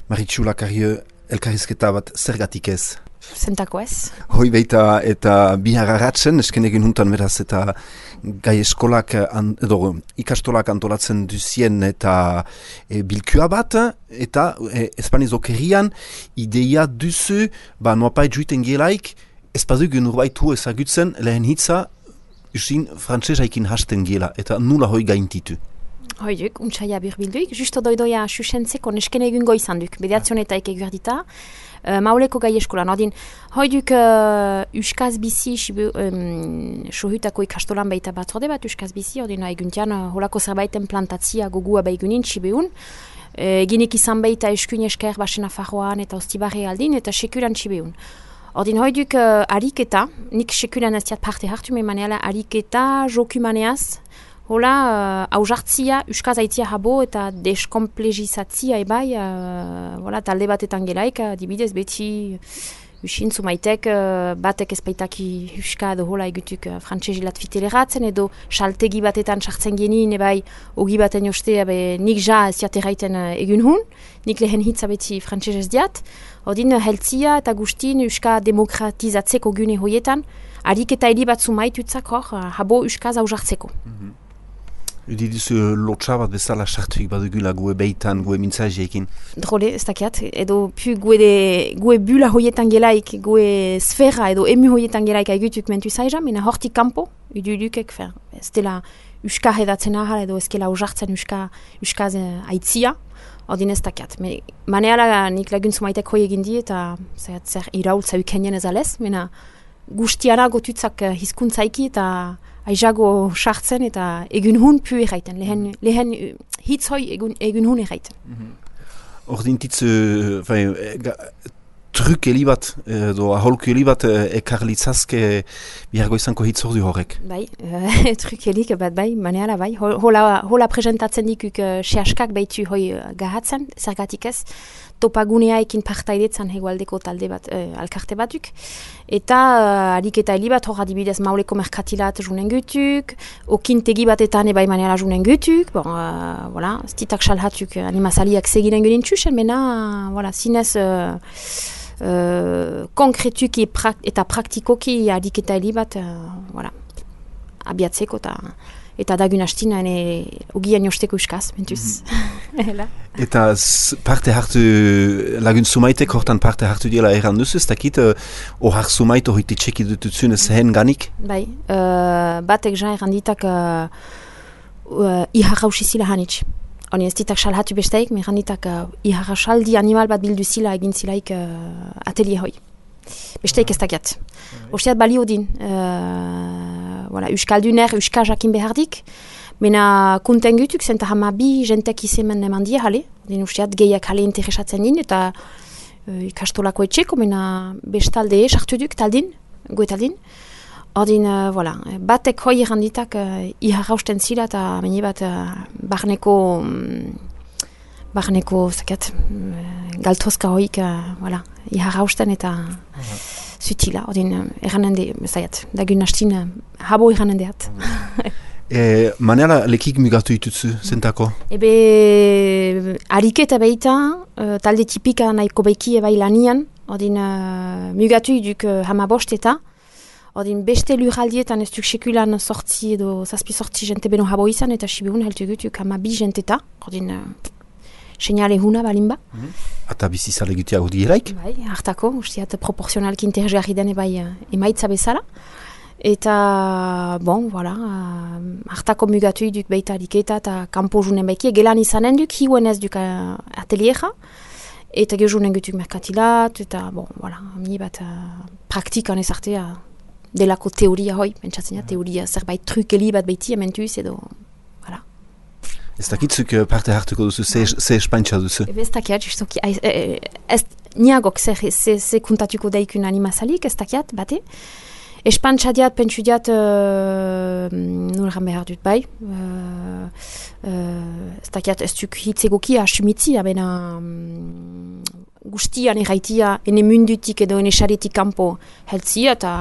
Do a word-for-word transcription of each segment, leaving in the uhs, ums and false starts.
Maritxu Lakarrio, elkarrizketa bat zergatik ez? Zentako ez. Hoi baita eta bihar arratzen, esken egin huntan beraz eta gai eskolak an, edo ikastolak antolatzen duzien eta e, bilkua bat, eta e, espaniz okerian ideia duzu, ba noapait juiten gelaik, ez badugun urbaitu ezagutzen lehen hitza usin frantsesaikin hasten gela, eta nula hoi gaintitu. Hoiduk, untsaia birbilduik, justo doidoia susentzeko nesken egun goizan duk, bederazionetaik eguerdita, uh, mauleko gai eskolan. Odin, hoiduk uh, uskaz bizi, um, sohutako ikastolan baita batzorde bat uskaz bizi, odin eguntian uh, holako zerbaiten plantatzia gogua baigunin, sibeun, uh, eginik izan baita eskun esker basen afarroan eta ostibarre aldin, eta sekuran sibeun. Ordin hoiduk uh, ariketa, nik sekuran ez diat parte hartu, memaneala ariketa, jokumaneaz, hola, uh, hausartzia, uskaz aitzia habo eta deskomplegizatzia ebai, uh, hola, talde batetan gelaik, adibidez beti usin zumaitek, uh, batek ezpaitaki uska edo hola egutuk uh, frantsezilat fiteleratzen, edo saltegi batetan sartzen genien ebai, ogi baten joste, ebe, nik ja ez diat erraiten uh, egun hun, nik lehen hitza beti frantsez ez diat, odin heltzia eta gustin uska demokratizatzeko gune hoietan, harik eta heli bat zumaitutzak hor, uh, habo uskaz hausartzeko. Mm-hmm. Udi duzu lotxa bat bezala sartuik badugula gue beitan, gue mintzaziekin? Drole, ez dakiat, edo pu gue, de, gue bula hoietan gelaik, gue sfera edo emu hoietan gelaik aigutuk mentu zaiza, mena hortik kampo, udu dukek, fer, ez dela uska hedatzen ahal edo ezkela usartzen uska, uskaz aitzia, ordin ez dakiat. Me, maneala nik lagun zumaitek hoi egin di eta zer, zer iraultza ukenien ez alez, mena guztiara gotutzak hizkuntzaiki eta aizago sartzen eta egun hun pu erraiten, lehen, lehen hitz hoi egun, egun hun erraiten. Mm-hmm. Ordintitz, uh, truk helibat, edo aholku helibat ekarlitzazke bihargo izanko hitz ordu horrek. Bai, uh, truk helik bat bai, maneala bai. Hola, hola presentatzen dikuk uh, sehaskak baitu hoi uh, gahatzen, zergatik ez, topaguneaekin partaidetzan hegoaldeko talde bat, uh, alkarte batuk. Eta uh, harik eta heli bat hor adibidez mauleko merkatilat junen gutuk, okintegi batetan ebai maneala junen gutuk, bon, uh, voilà, stitak salhatuk animazaliak segiren gudin txusen, mena, uh, voilà, zinez... Uh, Uh, konkretuki pra eta praktikoki harik eta heli bat uh, voilà, abiatzeko eta eta dagun hastina ene ogian josteko uskaz, mentuz. Mm-hmm. Eta parte hartu, lagun sumaitek hortan parte hartu dira erran duzu, ez dakit ohar uh, sumait horiti txeki dututzun ez hen ganik? Bai, uh, batek ja erran ditak uh, uh, ihar hausizila hanitz. Honi ez ditak salhatu besteik, me randitak uh, iharra saldi animal bat bildu zila egin zilaik uh, atelier hoi. Besteik ez dakiat. Osteat balio din. Uh, voilà, Euskalduner, Euskal jakin behardik. Mena kunten gutuk, zenta hama bi jentek izemen eman dia hale. Den osteat gehiak hale interesatzen din, eta uh, ikastolako etxeko, mena bestalde sartu duk taldin, goe taldin. Ordin, uh, voilà, batek hoi erranditak uh, iharrausten zila eta meni bat uh, barneko, um, barneko, zakat, uh, galtozka hoik, uh, voilà, iharrausten eta uh-huh. zutila. Ordin, uh, erranende, zaiat, dagun hastin, uh, habo erranendeat. e, Manela lekik mugatu ditutzu, zentako? Ebe, ariketa beita, uh, talde tipika nahiko beiki ebai lanian, ordin, uh, mugatu duk uh, hamabost eta, Odin beste lurraldietan ez duk sekulan sortzi edo zazpi sortzi jente beno habo izan eta sibihun heltu gutuk hama bi jenteta. Odin uh, seinale huna balimba. Mm-hmm. Ata bizizale gutiago dieraik? Bai, hartako, ustiat proportzionalki interesgarri den ebai uh, emaitza bezala. Eta, bon, voilà, uh, hartako mugatu duk beita diketa eta kampo junen baiki. Gelan izanen duk, hiuen ez duk uh, ateliera. Eta gehunen gutuk merkatilat, eta, bon, voilà, mi bat uh, praktikan ez artea. Delako teoria hoi, pentsatzen ja, teoria zerbait trukeli bat beiti ementuz edo, voilà. Ez dakitzuk parte hartuko duzu, ze espantxa duzu? Ebe ez dakiat, justoki, ez niagok ze kuntatuko daikun animazalik, ez dakiat, bate. Espantxa diat, pentsu diat, uh, nolran behar dut bai, uh, uh, ez dakiat, ez duk hitzegoki asumitzi, abena um, guztian erraitia, ene mundutik edo ene xaretik kanpo heltzia, eta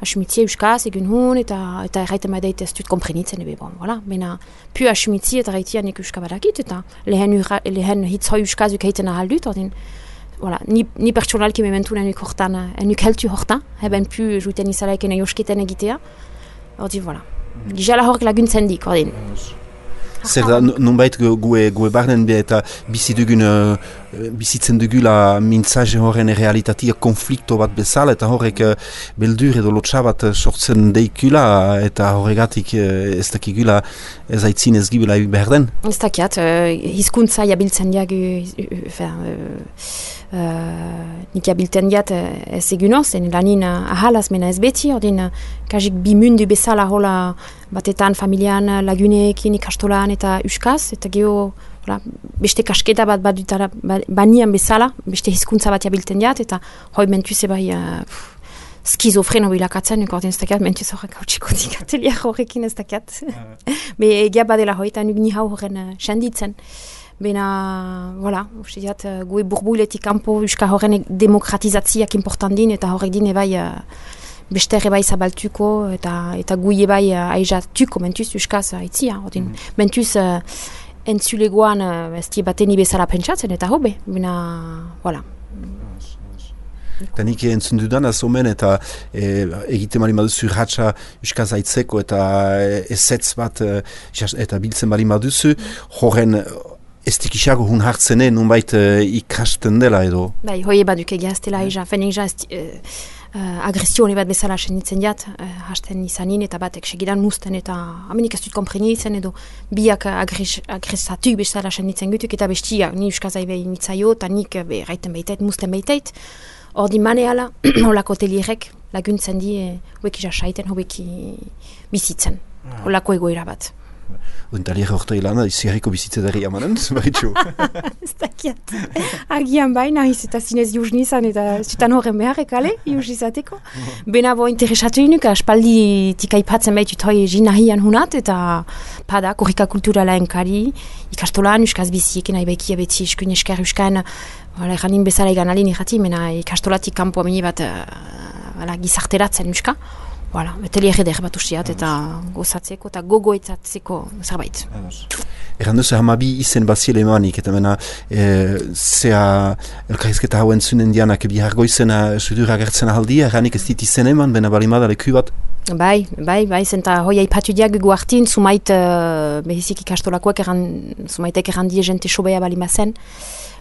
asumitzia euskaz egun hun, eta, eta erraiten badait ez dut komprenitzen, ebe bon, voilà. Bena, pu asumitzia eta erraitia nek euskabadakit, eta lehen, ura, lehen hitzoi euskaz ukaiten ahaldut, ordin, voilà. Ni, ni pertsonalki mementu nenuk hortan, enuk heltu hortan, heben pu juiten izalaik ene josketen egitea, ordin, voilà. Gizala horrek laguntzen dik, ordin. Zer da, nonbait gue, gue barnen be eta bizi dugun, uh, bizitzen dugula mintzaje horren realitatea konflikto bat bezala, eta horrek uh, beldur edo lotxa bat sortzen deikula, eta horregatik uh, ez dakigula ez aitzin ez gibela behar den? Ez dakiat, uh, hizkuntza jabiltzen diagu, uh, uh, uh, nik jabiltzen diat uh, ez egun zen lanin uh, ahalaz mena ez beti, ordin uh, kajik bi mundu bezala hola batetan familian laguneekin ikastolan eta euskaz, eta geho voilà, beste kasketa bat badutara banian bezala, beste hizkuntza bat jabilten diat, eta hoi mentuz ebai uh, skizofreno bilakatzen, nuko ordin ez dakiat, mentuz horrek hau txikotik ateliak horrekin ez dakiat. Be egia badela hoi, eta nuk ni hau horren uh, senditzen. Bena, voilà, uste diat, uh, gue burbuiletik kanpo euska horren demokratizatziak important din, eta horrek din ebai uh, beste ere bai zabaltuko eta eta guie bai uh, aizatuko mentuz euskaz aitzia. Ordin, mm. mentuz uh, entzulegoan uh, ez die bateni bezala pentsatzen eta hobe. Bena, voilà. Eta nik entzun dudan azomen eta e, egite mali maduzu ratxa euskaz aitzeko eta ezetz bat e, eta biltzen mali maduzu, horren ez dikisago hun hartzene nunbait e, ikasten dela edo? Bai, hoi ebaduk egia ez dela eza, fenik ja Uh, agresione bat bezala senditzen diat, uh, hasten izanin eta batek segidan musten eta amenik ez dut komprenitzen edo biak agres, agresatuk bezala senditzen gutuk eta bestia ni euskazai behin nitzaio eta nik be, raiten behitait, musten behitait. Ordi maneala, holako telierek laguntzen di, hoek jasaiten, hoek bizitzen, holako egoera bat. Untalier horta ilana, izierriko bizitzedari amanen, baritxo? Ez dakiat. Agian baina, iz eta zinez juz nizan, eta zutan horren beharrek, ale, juz izateko. Bena bo interesatu inuk, aspaldi tikaipatzen behitut hoi jinahian hunat, eta pada, korrika kulturala enkari, ikastolan, euskaz biziekin, aibekia beti eskun esker euskan, eranin bezala egan alin irrati, mena ikastolatik kanpo amini bat uh, gizarteratzen euska. Voilà, eteli eder bat ustiat eta gozatzeko eta gogoetatzeko zerbait. Eran duzu hamabi izen baziele emanik, eta mena e, zea elkarrizketa hauen zunen dianak bihar goizena sudur agertzen ahaldia, eranik ez dit izen eman, bena balimada leku bat? Bai, bai, bai, zenta hoi aipatu diak gu hartin, sumait uh, behizik ikastolakoak eran, sumaitek eran die jente sobea balimazen.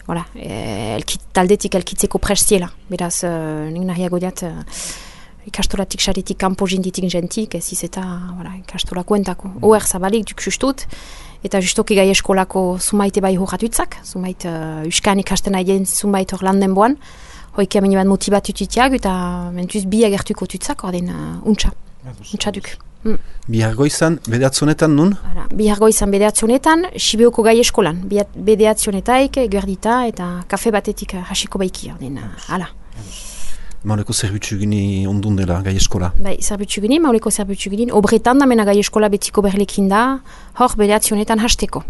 Voilà, e, elkit, taldetik elkitzeko prestiela, beraz, uh, nik nahiago diat, uh, ikastolatik xaretik kanpo jinditik jentik, ez iz eta voilà, ikastolako entako. Mm. Oer zabalik duk justut, eta justoki gai eskolako zumaite bai horratutzak, zumait uh, uskan ikasten aien zumait hor landen boan, hoik ameni bat motibatututiak, eta mentuz bi agertuko tutzak, ordin uh, untxa, untxa duk. Mm. Bihargoizan, bedeatzionetan nun? Ara, bihargoizan bedeatzionetan, Sibioko gai eskolan, bedeatzionetaik, eguerdita, eta kafe batetik hasiko baiki, ordin, uh, ala. Mauleko zerbitzu gini ondun dela gai eskola? Bai, zerbitzu gini, mauleko zerbitzu gini, obretan da mena gai eskola betiko berlekin da, hor bedeatzionetan hasteko.